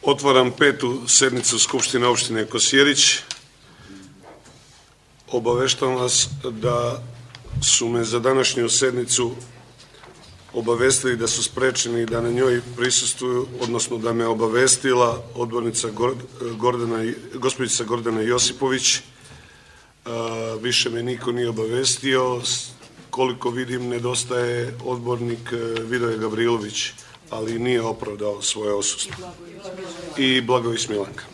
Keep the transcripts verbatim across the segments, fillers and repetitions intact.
Otvaram petu sednicu Skupštine opštine Kosjerić. Obaveštavam vas da su me za današnju sednicu obavestili da su sprečeni da na njoj prisustvuju, odnosno da me obavestila odbornica Gordana, gospođica Gordana Josipović. Više me niko nije obavestio. Koliko vidim, nedostaje odbornik Vidoje Gavrilović, ali nije opravdao svoje odsustvo. I Blagović Milanka.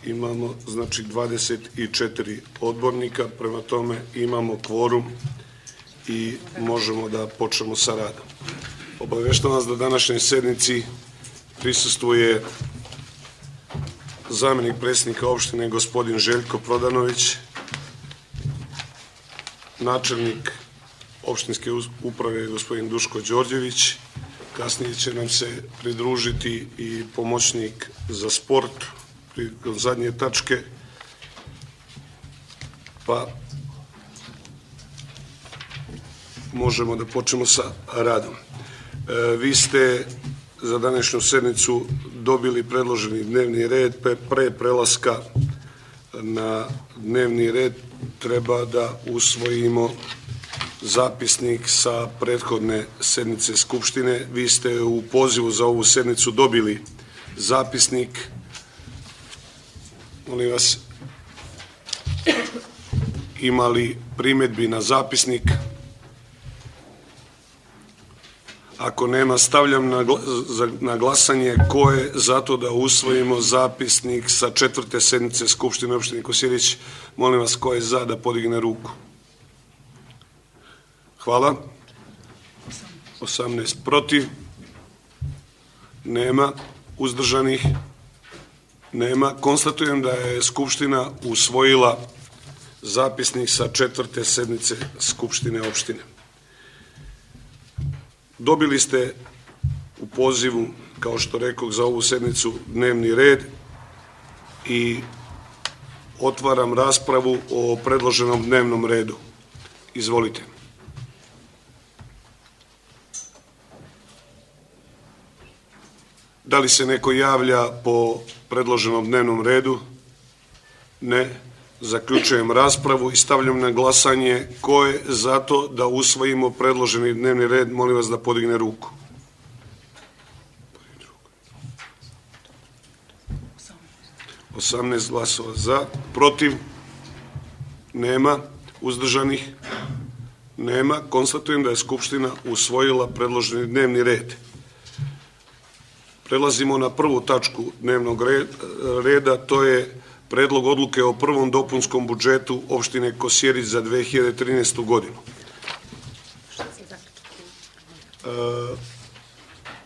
Imamo, znači, dvadeset četiri odbornika, prema tome imamo kvorum i možemo da počnemo sa radom. Obaveštavam vas da današnjoj sednici prisustvuje zamenik predsjednika opštine gospodin Željko Prodanović, načelnik opštinske uprave gospodin Duško Đorđević, kasnije će nam se pridružiti i pomoćnik za sport prilikom zadnje tačke, pa možemo da počnemo sa radom. Vi ste za današnju sednicu dobili predloženi dnevni red. Pre prelaska na dnevni red treba da usvojimo zapisnik sa prethodne sednice Skupštine. Vi ste u pozivu za ovu sednicu dobili zapisnik. Molim vas, imali primjedbi na zapisnik? Ako nema, stavljam na glasanje ko je za to da usvojimo zapisnik sa četvrte sednice Skupštine opštine Kosjerić. Molim vas, ko je za da podigne ruku? Hvala. osamnaest protiv. Nema. Uzdržanih? Nema. Konstatujem da je Skupština usvojila zapisnik sa četvrte sednice Skupštine opštine. Dobili ste u pozivu, kao što rekoh, za ovu sednicu dnevni red i otvaram raspravu o predloženom dnevnom redu. Izvolite. Da li se neko javlja po predloženom dnevnom redu? Ne. Zaključujem raspravu i stavljam na glasanje ko je za to da usvojimo predloženi dnevni red. Molim vas da podigne ruku. osamnaest glasova za. Protiv? Nema. Uzdržanih? Nema. Konstatujem da je Skupština usvojila predloženi dnevni red. Prelazimo na prvu tačku dnevnog reda, to je Predlog odluke o prvom dopunskom budžetu opštine Kosjerić za dve hiljade trinaestu godinu.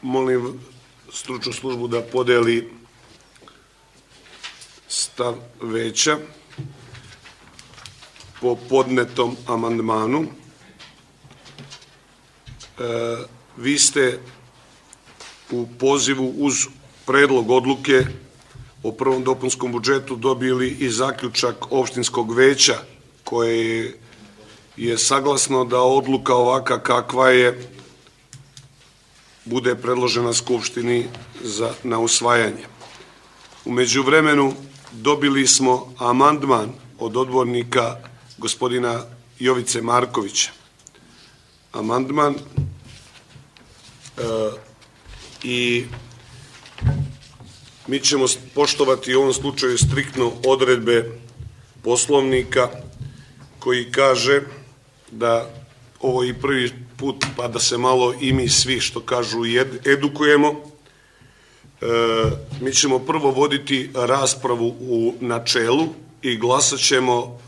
Molim stručnu službu da podeli stav veća po podnetom amandmanu. Vi ste u pozivu uz predlog odluke o prvom dopunskom budžetu dobili i zaključak opštinskog veća koje je saglasno da odluka ovaka kakva je bude predložena Skupštini na usvajanje. U međuvremenu dobili smo amandman od odbornika gospodina Jovice Markovića. Amandman i mi ćemo poštovati u ovom slučaju striktno odredbe Poslovnika koji kaže da ovo je prvi put pa da se malo i mi svi, što kažu, edukujemo. Mi ćemo prvo voditi raspravu u načelu i glasat ćemo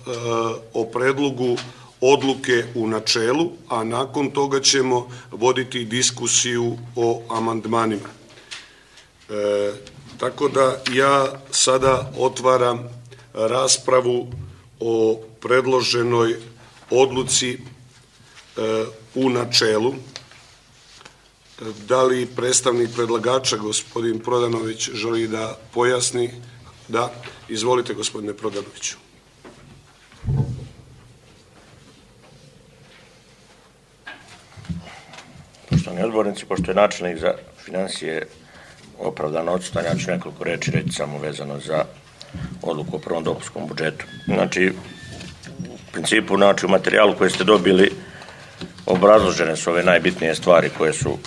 o predlogu odluke u načelu, a nakon toga ćemo voditi diskusiju o amandmanima. Tako da ja sada otvaram raspravu o predloženoj odluci u načelu. Da li predstavnik predlagača, gospodin Prodanović, želi da pojasni? Da. Izvolite, gospodine Prodanoviću. Poštovani odbornici, pošto je načelnik za finansije opravdano odsutan. Ja ću nekoliko reći reći samo vezano za odluku o prvom dopunskom budžetu. Znači, u principu, znači, u materijalu koji ste dobili obrazložene su ove najbitnije stvari koje su,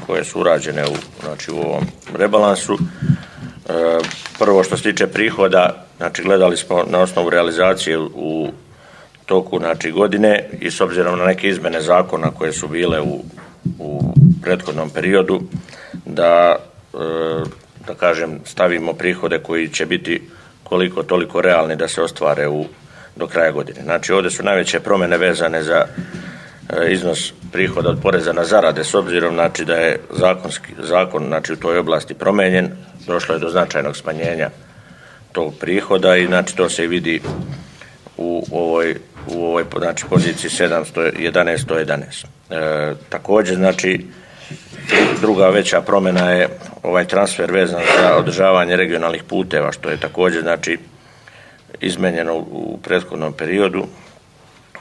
koje su urađene u, znači, u ovom rebalansu. Prvo što se tiče prihoda, znači, gledali smo na osnovu realizacije u toku, znači, godine i s obzirom na neke izmene zakona koje su bile u, u prethodnom periodu, da, da kažem, stavimo prihode koji će biti koliko toliko realni da se ostvare u, do kraja godine. Znači, ovdje su najveće promjene vezane za iznos prihoda od poreza na zarade, s obzirom, znači, da je zakonski, zakon, znači, u toj oblasti promijenjen, došlo je do značajnog smanjenja tog prihoda i, znači, to se i vidi u ovoj, u ovoj, znači, poziciji sedamsto jedanaest sto jedanaest. E, također, znači, druga veća promjena je ovaj transfer vezan za održavanje regionalnih puteva, što je također, znači, izmenjeno u prethodnom periodu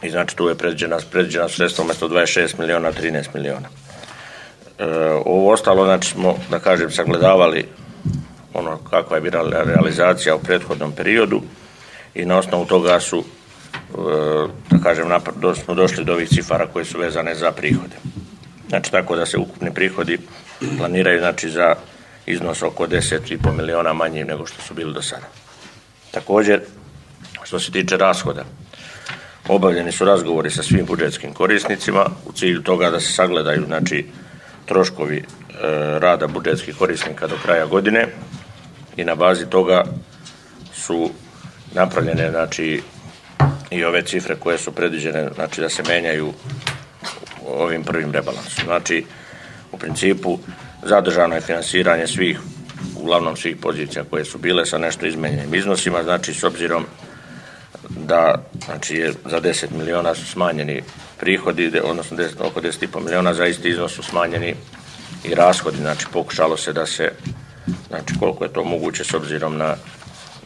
i, znači, tu je predviđena, predviđena sredstva umjesto dvadeset šest miliona, trinaest miliona. E, ovo ostalo, znači, smo, da kažem, sagledavali ono kakva je bila realizacija u prethodnom periodu i na osnovu toga su, da kažem, smo došli do ovih cifara koje su vezane za prihode. Znači, tako da se ukupni prihodi planiraju, znači, za iznos oko deset i pol miliona manji nego što su bili do sada. Također, što se tiče rashoda, obavljeni su razgovori sa svim budžetskim korisnicima u cilju toga da se sagledaju, znači, troškovi e, rada budžetskih korisnika do kraja godine i na bazi toga su napravljene, znači, i ove cifre koje su predviđene, znači, da se menjaju ovim prvim rebalansom. Znači, u principu zadržano je finansiranje svih, uglavnom svih pozicija koje su bile sa nešto izmenjenim iznosima, znači, s obzirom da, znači, je za deset miliona su smanjeni prihodi, odnosno deset, oko deset i pol miliona, za isti iznos su smanjeni i rashodi, znači, pokušalo se da se, znači, koliko je to moguće s obzirom na,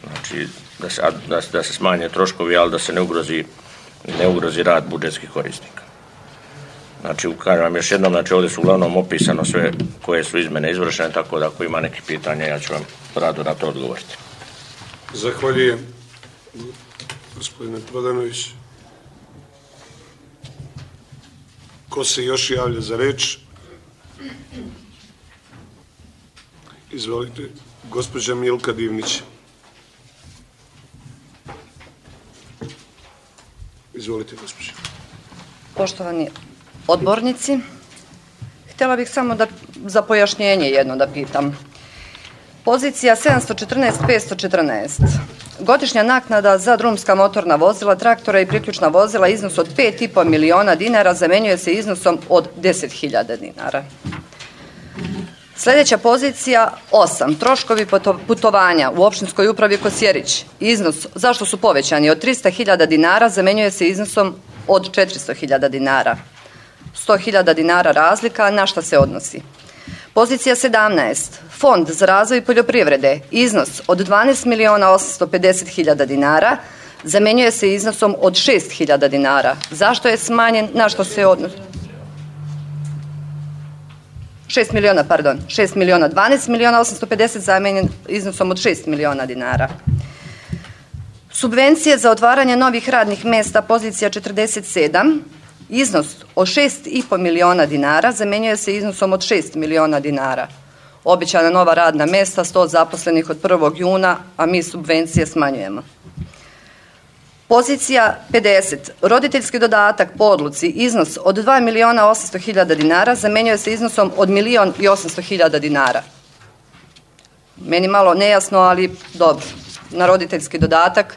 znači, da se, da, da se smanje troškovi, ali da se ne ugrozi, ne ugrozi rad budžetskih korisnika. Znači, kažem vam još jednom, znači, ovdje su uglavnom opisano sve koje su izmene izvršene, tako da ako ima neki pitanja, ja ću vam rado na to odgovoriti. Zahvaljujem, gospodine Prodanović. Ko se još javlja za reč? Izvolite, gospođa Milka Divnić. Izvolite, gospođa. Poštovani odbornici, htjela bih samo da za pojašnjenje jedno da pitam. Pozicija sedamsto četrnaest petsto četrnaest. Godišnja naknada za drumska motorna vozila, traktora i priključna vozila iznos od pet i pol miliona dinara zamenjuje se iznosom od deset hiljada dinara. Sljedeća pozicija osam. Troškovi putovanja u opštinskoj upravi Kosjerić. Iznos, zašto su povećani, od trista hiljada dinara zamenjuje se iznosom od četiristo hiljada dinara. sto hiljada dinara razlika, na šta se odnosi? Pozicija sedamnaest. Fond za razvoj poljoprivrede. Iznos od dvanaest miliona osamsto pedeset hiljada dinara zamenjuje se iznosom od šest hiljada dinara. Zašto je smanjen, na što se odnosi? šest miliona, pardon, šest miliona, dvanaest miliona osamsto pedeset zamenjen iznosom od šest miliona dinara. Subvencije za otvaranje novih radnih mjesta, pozicija četrdeset sedam, iznos od šest i pol miliona dinara zamenjuje se iznosom od šest miliona dinara. Obećana nova radna mjesta, sto zaposlenih od prvog juna, a mi subvencije smanjujemo. Pozicija pedeset. Roditeljski dodatak po odluci, iznos od dva miliona osamsto hiljada dinara zamenjuje se iznosom od milion i osamsto hiljada dinara. Meni malo nejasno, ali dobro. Na roditeljski dodatak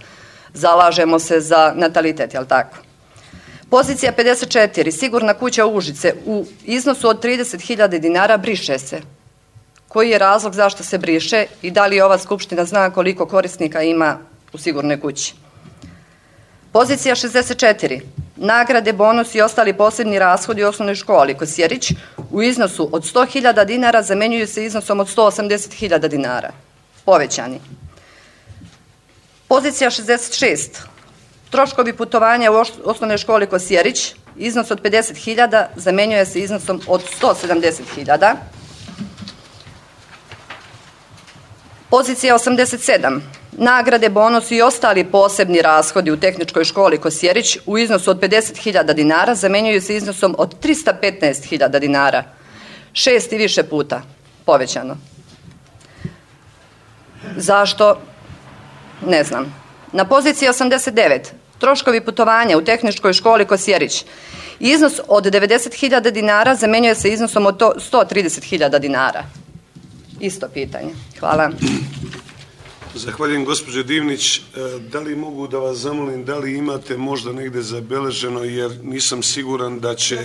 zalažemo se za natalitet, jel tako? Pozicija pedeset četiri. Sigurna kuća Užice u iznosu od trideset hiljada dinara briše se. Koji je razlog zašto se briše i da li ova skupština zna koliko korisnika ima u sigurnoj kući? Pozicija šezdeset četiri. Nagrade, bonus i ostali posebni rashodi u osnovnoj školi Kosjerić u iznosu od sto hiljada dinara zamenjuju se iznosom od sto osamdeset hiljada dinara. Povećani. Pozicija šezdeset šest. Troškovi putovanja u osnovnoj školi Kosjerić, iznos od pedeset hiljada zamenjuje se iznosom od sto sedamdeset hiljada. Pozicija osamdeset sedam. Nagrade, bonusi i ostali posebni rashodi u Tehničkoj školi Kosjerić u iznosu od pedeset hiljada dinara zamenjuju se iznosom od trista petnaest hiljada dinara. Šest i više puta povećano. Zašto? Ne znam. Na poziciji osamdeset devet. Troškovi putovanja u Tehničkoj školi Kosjerić. Iznos od devedeset hiljada dinara zamenjuje se iznosom od sto trideset hiljada dinara. Isto pitanje. Hvala. Zahvaljujem, gospođo Divnić. Da li mogu da vas zamolim, da li imate možda negde zabeleženo, jer nisam siguran da će,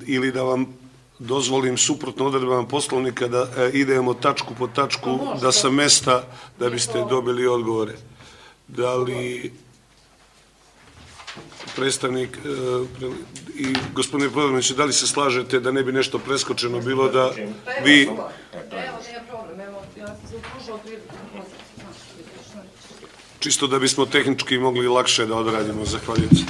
ili da vam dozvolim suprotno odredbama Poslovnika da idemo tačku po tačku, da sa mesta, da biste dobili odgovore. Da li predstavnik i gospodine Podornić, da li se slažete da ne bi nešto preskočeno bilo da vi... Čisto da bismo tehnički mogli lakše da odradimo. Zahvaljujem se.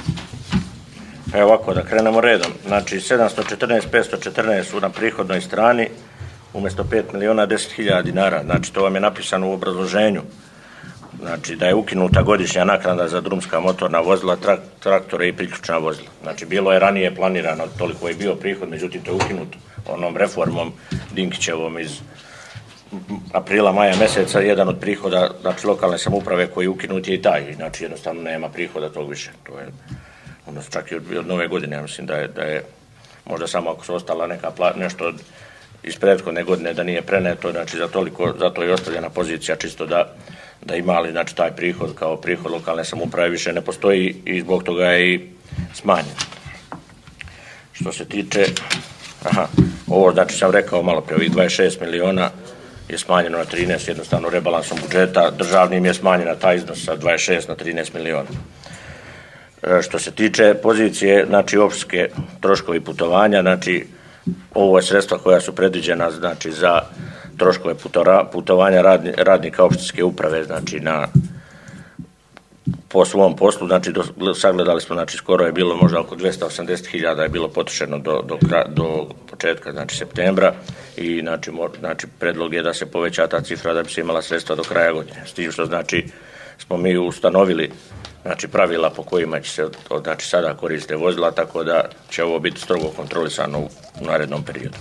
Evo ovako, da krenemo redom. Znači, sedamsto četrnaest petsto četrnaest su na prihodnoj strani, umjesto pet miliona deset hiljada dinara. Znači, to vam je napisano u obrazloženju. Znači, da je ukinuta godišnja naknada za drumska motorna vozila, trak, traktore i priključna vozila. Znači, bilo je ranije planirano, toliko je bio prihod, međutim, to je ukinuto onom reformom Dinkićevom iz aprila, maja meseca. Jedan od prihoda, znači, lokalne samouprave koji je ukinut je i taj. Znači, jednostavno nema prihoda tog više. To je, odnosno, čak i od, od nove godine, ja mislim da je, da je možda samo ako su ostala neka pla, nešto od, iz prethodne godine da nije preneto, znači, za toliko, zato je ostavljena pozicija čisto da da imali, znači, taj prihod kao prihod lokalne samouprave više ne postoji i zbog toga je i smanjen. Što se tiče, aha, ovo, znači, sam rekao malo pre, ovih dvadeset šest miliona je smanjeno na trinaest, jednostavno rebalansom budžeta, državnim je smanjena taj iznos sa dvadeset šest na trinaest miliona. E, što se tiče pozicije, znači, opštine troškovi putovanja, znači, ovo je sredstva koja su predviđena, znači, za troškove putovanja radni, radnika opštinske uprave, znači, na, po svom poslu, znači, do, sagledali smo, znači, skoro je bilo možda oko dvesta osamdeset hiljada je bilo potrošeno do, do, do početka, znači, septembra i, znači, mor, znači, predlog je da se poveća ta cifra da bi se imala sredstva do kraja godine. S tim što, znači, smo mi ustanovili, znači, pravila po kojima će se, od, znači, sada koriste vozila, tako da će ovo biti strogo kontrolisano u, u narednom periodu.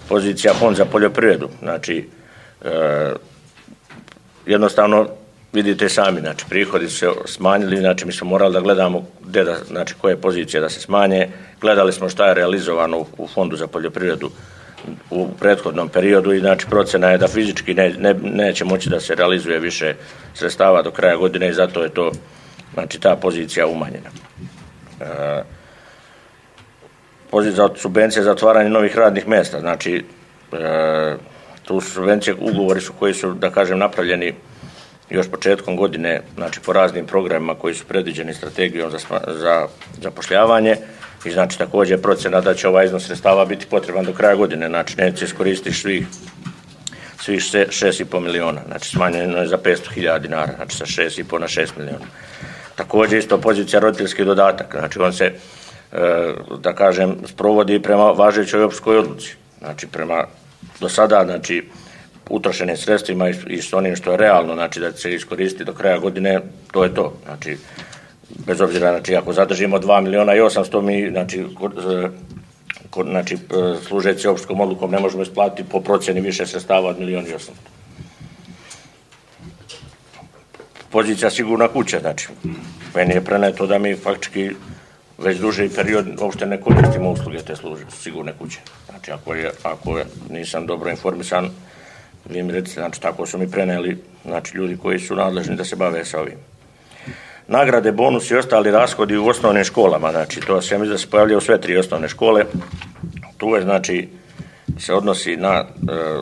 Pozicija Fond za poljoprivredu, znači, e, jednostavno vidite sami, znači, prihodi su se smanjili, znači, mi smo morali da gledamo gde da, znači, koje pozicije da se smanje, gledali smo šta je realizovano u, u Fondu za poljoprivredu u prethodnom periodu i, znači, procena je da fizički ne, ne, neće moći da se realizuje više sredstava do kraja godine i zato je to, znači, ta pozicija umanjena. E, Poziv za subvencije za otvaranje novih radnih mjesta, znači, e, tu subvencije, ugovori su koji su, da kažem, napravljeni još početkom godine, znači, po raznim programima koji su predviđeni strategijom za, za zapošljavanje i, znači, također procena da će ovaj iznos sredstava biti potreban do kraja godine, znači, neće iskoristiti svih, svih šest i po miliona, znači, smanjeno je za petsto hiljada dinara, znači, sa šest i po na šest miliona. Također isto pozicija roditeljski dodatak, znači, on se, da kažem, sprovodi prema važećoj opštinskoj odluci. Znači, prema do sada, znači, utrošenim sredstvima i s onim što je realno, znači, da će se iskoristiti do kraja godine, to je to. Znači, bez obzira, znači, ako zadržimo dva miliona i osamsto, mi, znači, kod, znači, služeći opštinskom odlukom ne možemo isplatiti po procjeni više sredstava od milion i osamsto. Pozicija sigurna kuća, znači, meni je preneto da mi faktički već duži period uopšte ne koristimo usluge te služe, sigurne kuće. Znači, ako, je, ako je, nisam dobro informisan, vi mi recite, znači, tako su mi preneli, znači, ljudi koji su nadležni da se bave sa ovim. Nagrade, bonusi i ostali rashodi u osnovnim školama, znači, to se mi da se pojavlja u sve tri osnovne škole. Tu je, znači, se odnosi na,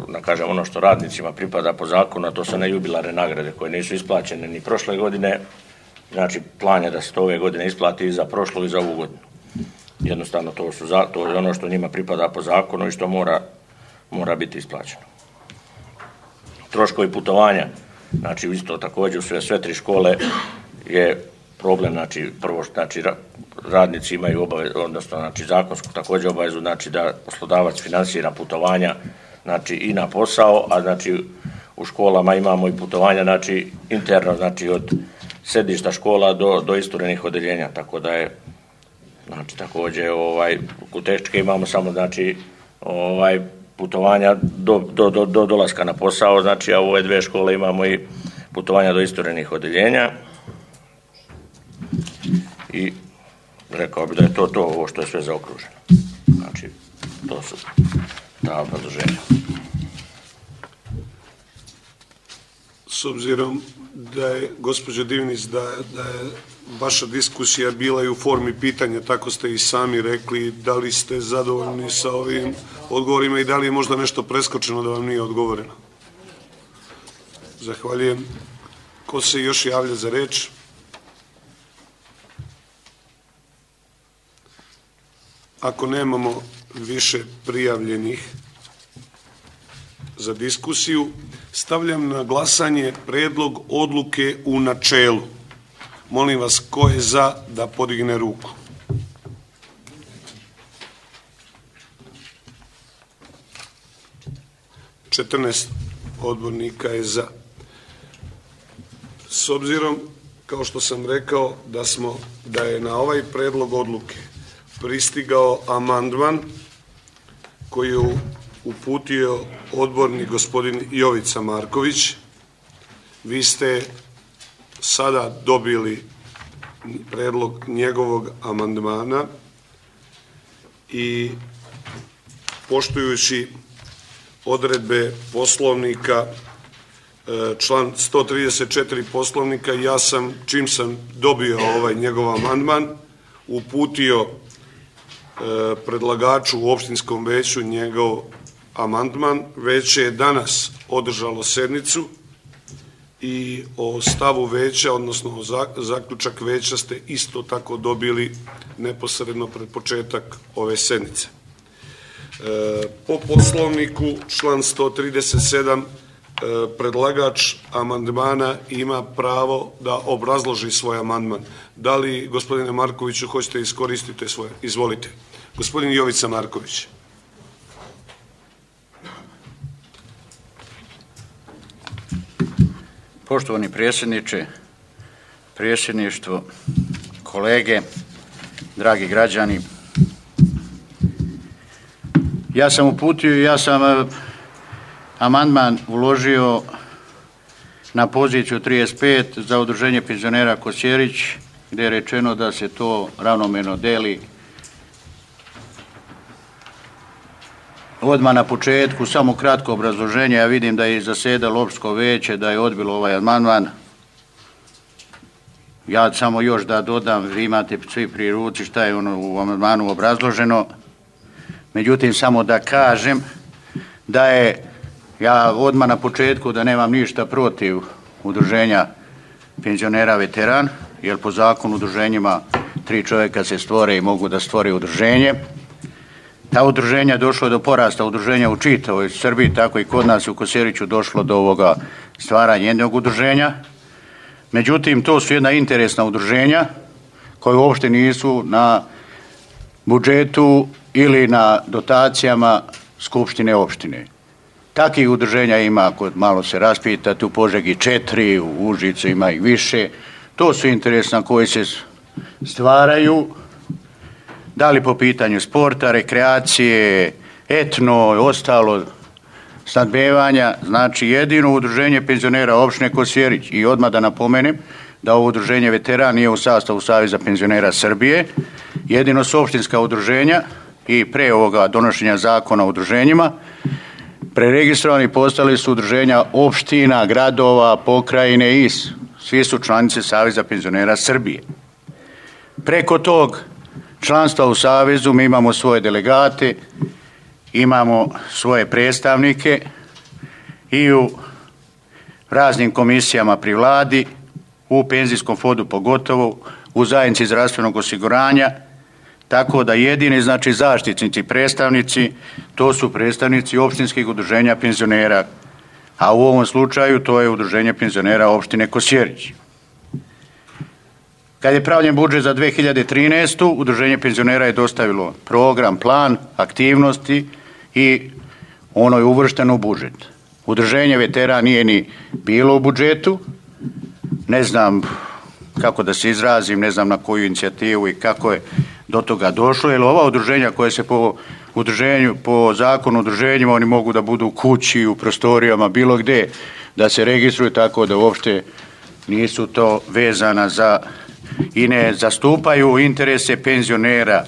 na, kažem, ono što radnicima pripada po zakonu, a to su nejubilarne nagrade koje nisu isplaćene ni prošle godine. Znači, plan je da se to ove godine isplati i za prošlu i za ovu godinu. Jednostavno, to, su za, to je ono što njima pripada po zakonu i što mora, mora biti isplaćeno. Troškovi putovanja, znači, isto također u sve, sve tri škole je problem, znači, prvo, znači, radnici imaju obavezu, odnosno, znači, zakonsku također obavezu, znači, da poslodavac finansira putovanja, znači, i na posao, a, znači, u školama imamo i putovanja, znači interno, znači od sedišta škola do, do isturenih odeljenja, tako da je, znači također ovaj, u tehničke imamo samo, znači, ovaj, putovanja do, do, do, do dolaska na posao, znači, a u ove dve škole imamo i putovanja do isturenih odeljenja. I rekao bi da je to to, ovo što je sve zaokruženo. Znači, to su ta obrazloženja. S obzirom da je, gospođo Divnić, da, da je vaša diskusija bila i u formi pitanja, tako ste i sami rekli, da li ste zadovoljni sa ovim odgovorima i da li je možda nešto preskočeno da vam nije odgovoreno? Zahvaljujem. Ko se još javlja za reč? Ako nemamo više prijavljenih za diskusiju, stavljam na glasanje predlog odluke u načelu. Molim vas, ko je za da podigne ruku? četrnaest odbornika je za. S obzirom, kao što sam rekao, da smo, da je na ovaj predlog odluke pristigao amandman koji je uputio odbornik gospodin Jovica Marković. Vi ste sada dobili predlog njegovog amandmana i poštujući odredbe Poslovnika, član sto trideset četiri Poslovnika, ja sam, čim sam dobio ovaj njegov amandman, uputio predlagaču u opštinskom veću njegov amandman. Veće je danas održalo sednicu i o stavu veća, odnosno o zaključak veća ste isto tako dobili neposredno pred početak ove sednice. Po Poslovniku, član sto trideset sedam, predlagač amandmana ima pravo da obrazloži svoj amandman. Da li, gospodine Markoviću, hoćete iskoristiti svoje? Izvolite. Gospodin Jovica Marković. Poštovani predsjedniče, predsjedništvo, kolege, dragi građani, ja sam uputio i ja sam amandman uložio na poziciju trideset pet za udruženje penzionera Kosjerić, gdje je rečeno da se to ravnomjerno deli. Odmah na početku, samo kratko obrazloženje, ja vidim da je zasedalo opštinsko veće, da je odbilo ovaj amandman. Ja samo još da dodam, vi imate svi pri ruci šta je ono u amandmanu obrazloženo. Međutim, samo da kažem da je, ja odmah na početku da nemam ništa protiv udruženja penzionera veteran, jer po zakonu udruženjima tri čovjeka se stvore i mogu da stvore udruženje. Ta udruženja došlo do porasta udruženja u čitavoj Srbiji, tako i kod nas u Kosjeriću došlo do ovoga stvaranja jednog udruženja. Međutim, to su jedna interesna udruženja koje uopšte nisu na budžetu ili na dotacijama skupštine opštine. Takih udruženja ima, ako malo se raspitati, u Požegi četiri, u Užicu ima i više. To su interesna koji se stvaraju, da li po pitanju sporta, rekreacije, etno, ostalo, snadbevanja. Znači, jedino udruženje penzionera opštine Kosjerić, i odmah da napomenem da ovo udruženje veteran nije u sastavu Saveza penzionera Srbije, jedino su opštinska udruženja i pre ovoga donošenja zakona o udruženjima preregistrovani postali su udruženja opština, gradova, pokrajine i svi su članice Saveza penzionera Srbije. Preko tog članstva u Savezu mi imamo svoje delegate, imamo svoje predstavnike i u raznim komisijama pri vladi, u penzijskom fondu pogotovo, u zajednici zdravstvenog osiguranja, tako da jedini, znači, zaštitnici, predstavnici, to su predstavnici opštinskih udruženja penzionera, a u ovom slučaju to je udruženje penzionera opštine Kosjerić. Kad je pravljen budžet za dve hiljade trinaestu. udruženje penzionera je dostavilo program, plan, aktivnosti i ono je uvršteno u budžet. Udruženje veterana nije ni bilo u budžetu, ne znam kako da se izrazim, ne znam na koju inicijativu i kako je do toga došlo, jer ova udruženja koje se po udruženju, po zakonu o udruženjima, oni mogu da budu u kući, u prostorijama, bilo gdje, da se registruju, tako da uopšte nisu to vezana za i ne zastupaju interese penzionera.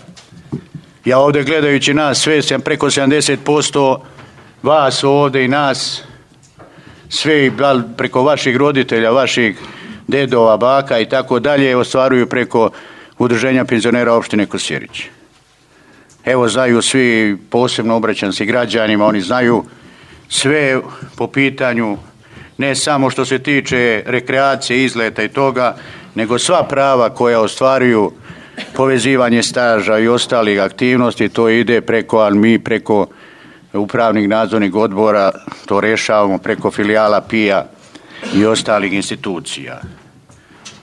Ja ovdje gledajući nas sve, sam preko sedamdeset posto vas ovdje i nas, sve preko vaših roditelja, vaših dedova, baka i tako dalje, ostvaruju preko udruženja penzionera opštine Kosjerić. Evo, znaju svi, posebno obraćam se građanima, oni znaju sve po pitanju ne samo što se tiče rekreacije, izleta i toga, nego sva prava koja ostvaruju povezivanje staža i ostalih aktivnosti, to ide preko, ali mi preko upravnih nadzornih odbora to rješavamo preko filijala P I A i ostalih institucija.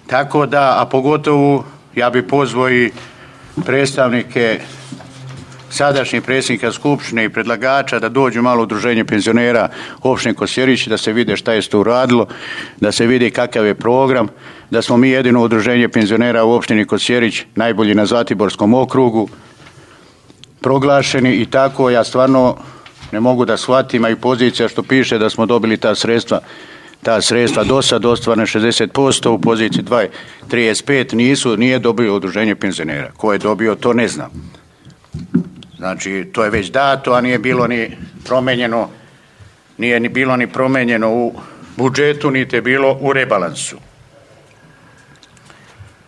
Tako da, a pogotovo ja bih pozvao i predstavnike, sadašnjih predsjednika Skupštine i predlagača da dođu malo u udruženje penzionera opštine Kosjerić, da se vide šta je to uradilo, da se vidi kakav je program, da smo mi jedino udruženje penzionera u opštini Kosjerić, najbolji na Zlatiborskom okrugu, proglašeni i tako. Ja stvarno ne mogu da shvatim, a i pozicija što piše da smo dobili ta sredstva, ta sredstva do sad ostvarene šezdeset posto, u poziciji dva trideset pet nisu, nije dobio udruženje penzionera. Ko je dobio, to ne znam. Znači, to je već dato, a nije bilo ni promenjeno, nije ni bilo ni promenjeno u budžetu, niti je bilo u rebalansu.